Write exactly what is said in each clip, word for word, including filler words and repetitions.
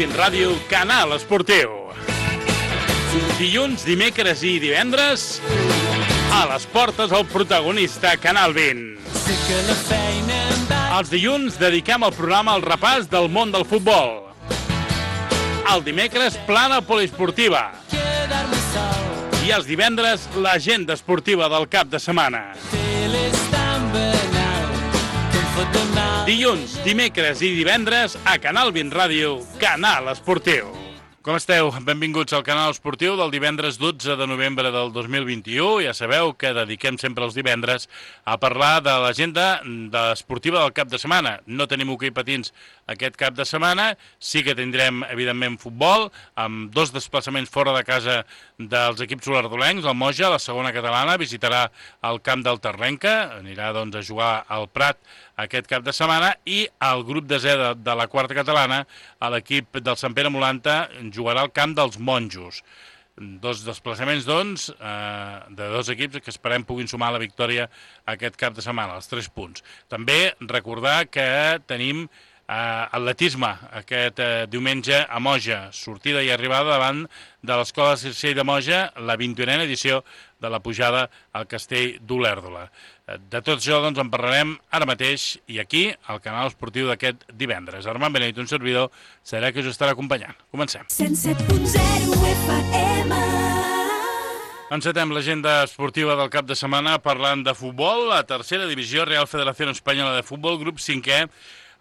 vint Ràdio, Canal Esportiu. Dilluns, dimecres i divendres, a les portes el protagonista, Canal vint. Els dilluns dediquem el programa al repàs del món del futbol. El dimecres, plana poliesportiva. I els divendres, l'agenda esportiva del cap de setmana. Dilluns, dimecres i divendres a Canal vint Ràdio, Canal Esportiu. Com esteu? Benvinguts al Canal Esportiu del divendres dotze de novembre del dos mil vint-i-u. Ja sabeu que dediquem sempre els divendres a parlar de l'agenda esportiva del cap de setmana. No tenim hoquei patins aquest cap de setmana, sí que tindrem, evidentment, futbol, amb dos desplaçaments fora de casa dels equips olardolencs. El Moja, la segona catalana, visitarà el camp del Terlenca, anirà doncs, a jugar al Prat aquest cap de setmana, i el grup de Z de, de la quarta catalana, a l'equip del Sant Pere Molanta, jugarà al camp dels Monjos. Dos desplaçaments, doncs, eh, de dos equips que esperem puguin sumar la victòria aquest cap de setmana, els tres punts. També recordar que tenim Uh, atletisme aquest uh, diumenge a Moja, sortida i arribada davant de l'Escola Circell de Moja, la vint-i-unena edició de la pujada al Castell d'Olèrdola. Uh, de tot això doncs en parlarem ara mateix i aquí, al Canal Esportiu d'aquest divendres. Armand Benedito, un servidor, serà que us estarà acompanyant. Comencem. cent set punt zero F M. Encetem l'agenda esportiva del cap de setmana parlant de futbol. La tercera divisió, Real Federación Española de Futbol, grup cinquè,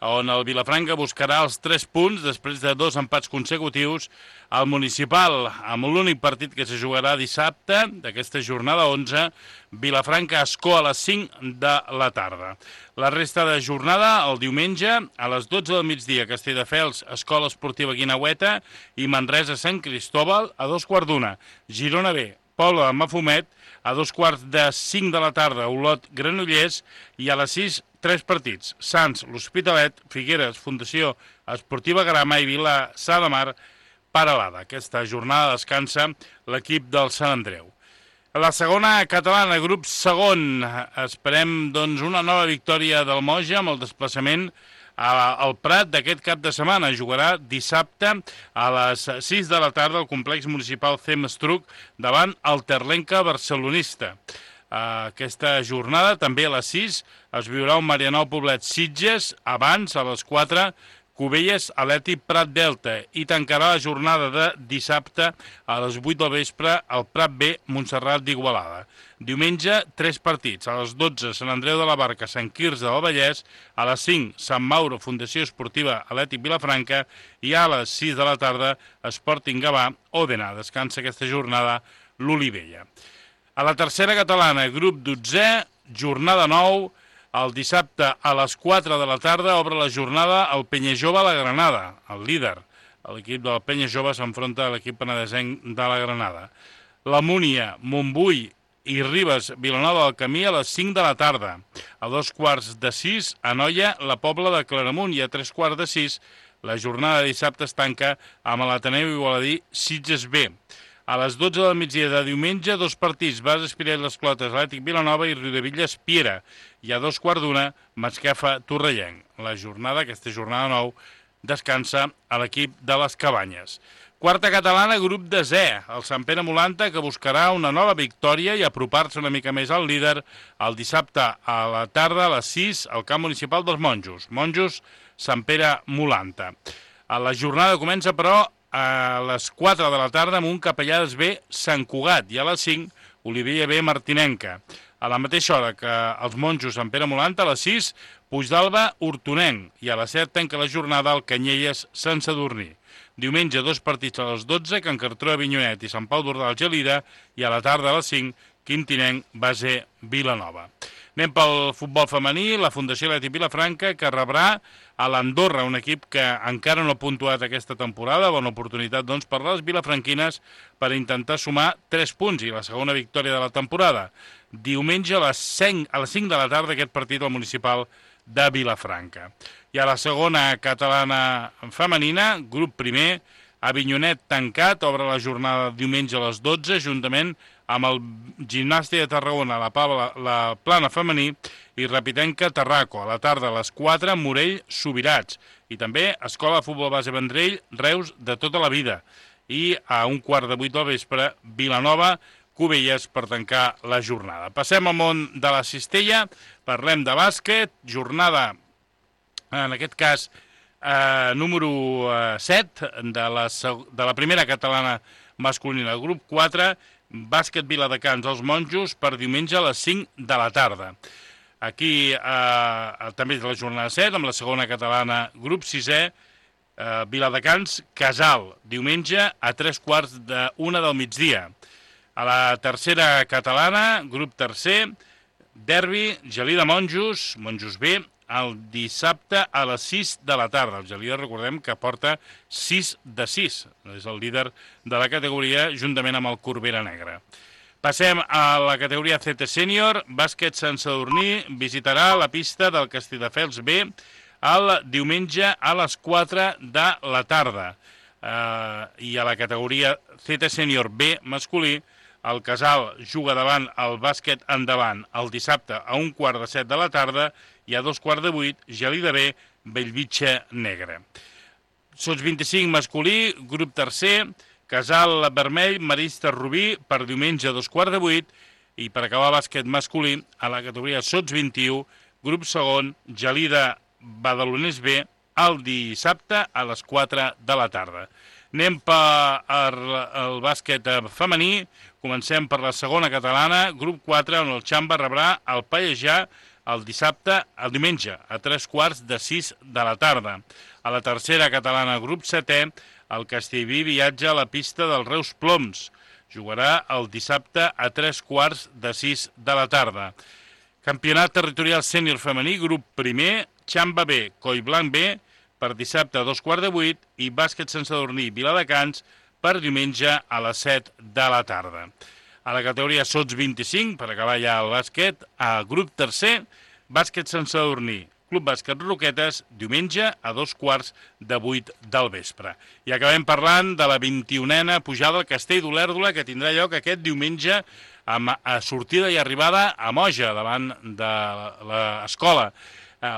on el Vilafranca buscarà els tres punts després de dos empats consecutius al Municipal, amb l'únic partit que se jugarà dissabte d'aquesta jornada onze, Vilafranca-Ascó a les cinc de la tarda. La resta de jornada, el diumenge, a les dotze del migdia, Castelldefels, Escola Esportiva Guineueta i Manresa-Sant Cristóbal a dos quarts d'una. Girona B, Pobla de Mafumet, a dos quarts de cinc de la tarda, Olot-Granollers, i a les sis, tres partits: Sants, l'Hospitalet, Figueres, Fundació Esportiva Grama i Vilassar de Mar, Peralada. Aquesta jornada descansa l'equip del Sant Andreu. A la segona catalana, grup segon, esperem doncs, una nova victòria del Moja amb el desplaçament al Prat d'aquest cap de setmana. Jugarà dissabte a les sis de la tarda al complex municipal C E M Estruc davant el Terlenca barcelonista. Aquesta jornada, també a les sis, es viurà un Marianao Poblet Sitges, abans, a les quatre, Cubelles Atleti Prat Delta, i tancarà la jornada de dissabte a les vuit del vespre al Prat B Montserrat d'Igualada. Diumenge, tres partits. A les dotze, Sant Andreu de la Barca, Sant Quirze del Vallès, a les cinc, Sant Mauro, Fundació Esportiva Atlètic Vilafranca, i a les sis de la tarda, Sporting Gavà, Òdena. Descansa aquesta jornada l'Olivella. A la tercera catalana, grup dotzè, jornada nou, el dissabte a les quatre de la tarda obre la jornada el Penyajove a la Granada, el líder. L'equip del Penyajove s'enfronta a l'equip penedesenc de la Granada. La Múnia, Montbui i Ribes, Vilanova del Camí a les cinc de la tarda. A dos quarts de sis, a Noia, la Pobla de Claramunt, i a tres quarts de sis, la jornada de dissabte es tanca amb l'Ateneu Igualadí Sitges B. A les dotze del migdia de diumenge, dos partits: Bas Espiret Les Clotes, Atlètic Vilanova, i Riudevilles Piera. I a dos quarts d'una, Masquefa Torrellenc. La jornada, aquesta jornada nou, descansa a l'equip de les Cabanyes. Quarta catalana, grup de Z, el Sant Pere Molanta, que buscarà una nova victòria i apropar-se una mica més al líder el dissabte a la tarda a les sis al camp municipal dels Monjos. Monjos, Sant Pere Molanta. A la jornada comença, però, a les quatre de la tarda amb un Capellades B Sant Cugat, i a les cinc Olivella B Martinenca. A la mateixa hora que els Monjos Sant Pere Molanta, a les sis Puigdàlber Hortonenc, i a les set tanca la jornada el Canyelles Sant Sadurní. Diumenge, dos partits a les dotze, Can Cartró Avinyonet i Sant Pau d'Ordal Gelida, i a la tarda a les cinc Quintinenc Base Vilanova. Anem pel futbol femení, la Fundació Atlètic Vilafranca, que rebrà a l'Andorra, un equip que encara no ha puntuat aquesta temporada. Bona oportunitat, doncs, per les vilafranquines per intentar sumar tres punts i la segona victòria de la temporada. Diumenge a les cinc, a les cinc de la tarda aquest partit al municipal de Vilafranca. I a la segona catalana femenina, grup primer, Avinyonet tancat, obre la jornada diumenge a les dotze, juntament amb el Gimnàstic de Tarragona, la, la, la plana femení, Pirrapitenca Tarraco, a la tarda a les quatre, Morell Subirats, i també Escola de Futbol Base Vendrell, Reus de tota la vida, i a un quart de vuit del vespre, Vilanova, Cubelles, per tancar la jornada. Passem al món de la cistella, parlem de bàsquet, jornada, en aquest cas, eh, número eh, set de la, de la primera catalana masculina, el grup quatre, bàsquet Viladecans als Monjos, per diumenge a les cinc de la tarda. Aquí eh, també és la jornada set, amb la segona catalana, grup sisè, eh, Viladecans, Casal, diumenge a tres quarts d'una del migdia. A la tercera catalana, grup tercer, derbi, Gelida Monjos, Monjos B, el dissabte a les sis de la tarda. El Gelida, recordem que porta sis de sis, és el líder de la categoria, juntament amb el Corbera Negra. Passem a la categoria C T Sènior, bàsquet Sant Sadurní visitarà la pista del Castelldefels B el diumenge a les quatre de la tarda. Uh, I a la categoria C T Sènior B masculí, el Casal juga davant el bàsquet endavant el dissabte a un quart de set de la tarda i a dos quarts de vuit, Gelida B, Bellvitge Negra. Sots vint-i-cinc masculí, grup tercer, Casal Vermell, Marista Rubí, per diumenge a dos quarts de vuit, i per acabar bàsquet masculí, a la categoria Sots vint-i-u, grup segon, Gelida Badalonès B, el dissabte a les quatre de la tarda. Anem per el bàsquet femení, comencem per la segona catalana, grup quatre, on el Xamba rebrà el Pallejà el dissabte, el diumenge, a tres quarts de sis de la tarda. A la tercera catalana, grup setè, el Castellví viatja a la pista dels Reus Ploms. Jugarà el dissabte a tres quarts de sis de la tarda. Campionat territorial sènior femení, grup primer, Xamba B, Collblanc B, per dissabte a dos quarts de vuit, i bàsquet Sant Sadurní Viladecans per diumenge a les set de la tarda. A la categoria Sots vint-i-cinc, per acabar ja el bàsquet, a grup tercer, bàsquet Sant Sadurní, Club Bàsquet Roquetes, diumenge a dos quarts de vuit del vespre. I acabem parlant de la vint-i-unena pujada al Castell d'Olèrdola, que tindrà lloc aquest diumenge amb sortida i arribada a Moja, davant de l'escola.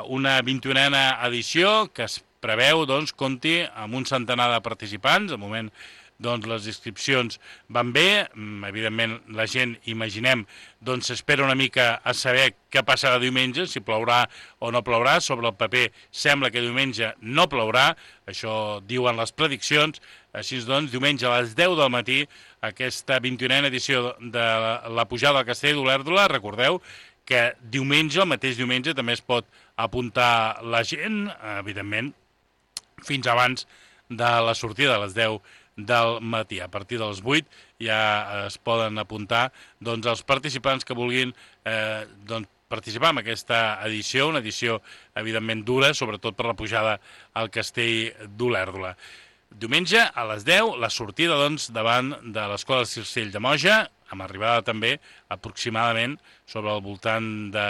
Una vint-i-unena edició que es preveu, doncs, compti amb un centenar de participants. Al moment, doncs, les inscripcions van bé. Evidentment, la gent, imaginem, doncs s'espera una mica a saber què passarà diumenge, si plourà o no plourà. Sobre el paper sembla que diumenge no plourà, això diuen les prediccions. Així doncs, diumenge a les deu del matí, aquesta vint-i-unena edició de la pujada al Castell d'Olèrdola. Recordeu que diumenge, el mateix diumenge, també es pot apuntar la gent, evidentment, fins abans de la sortida, a les deu del matí. A partir dels vuit ja es poden apuntar, doncs, els participants que vulguin eh, doncs, participar en aquesta edició, una edició evidentment dura, sobretot per la pujada al Castell d'Olèrdola. Diumenge a les deu, la sortida, doncs, davant de l'Escola del Circell de Moja, amb arribada també aproximadament sobre el voltant de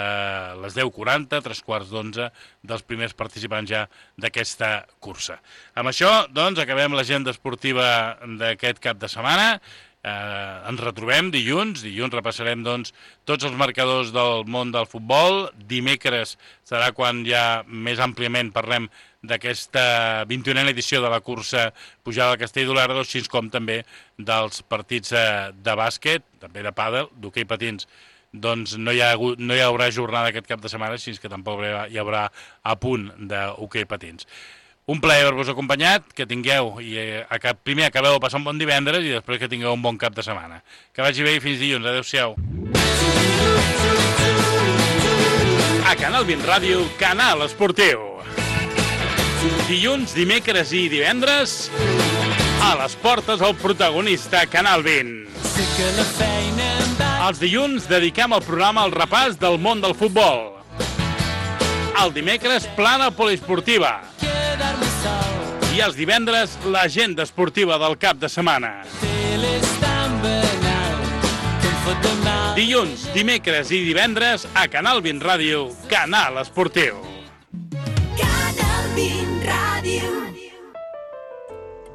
les deu quaranta, tres quarts d'onze, dels primers participants ja d'aquesta cursa. Amb això, doncs, acabem l'agenda esportiva d'aquest cap de setmana. Eh, ens retrobem dilluns, dilluns repassarem, doncs, tots els marcadors del món del futbol. Dimecres serà quan ja més àmpliament parlem d'aquesta vint-i-unena edició de la cursa pujada al Castell d'Olèrdola, així com també dels partits de bàsquet, també de pàdel, d'hoquei patins. Doncs no hi, ha hagut, no hi haurà jornada aquest cap de setmana, així que tampoc hi haurà a punt d'hoquei patins. Un plaer haver-vos acompanyat, que tingueu, i primer acabeu de passar un bon divendres i després que tingueu un bon cap de setmana. Que vagi bé i fins dilluns. Adéu-siau. A Canal vint Ràdio, Canal Esportiu. Dilluns, dimecres i divendres, a les portes el protagonista Canal vint. Els dilluns dediquem el programa al repàs del món del futbol. El dimecres, plana poliesportiva. I els divendres, l'agenda esportiva del cap de setmana. Dilluns, dimecres i divendres, a Canal vint Ràdio, Canal Esportiu.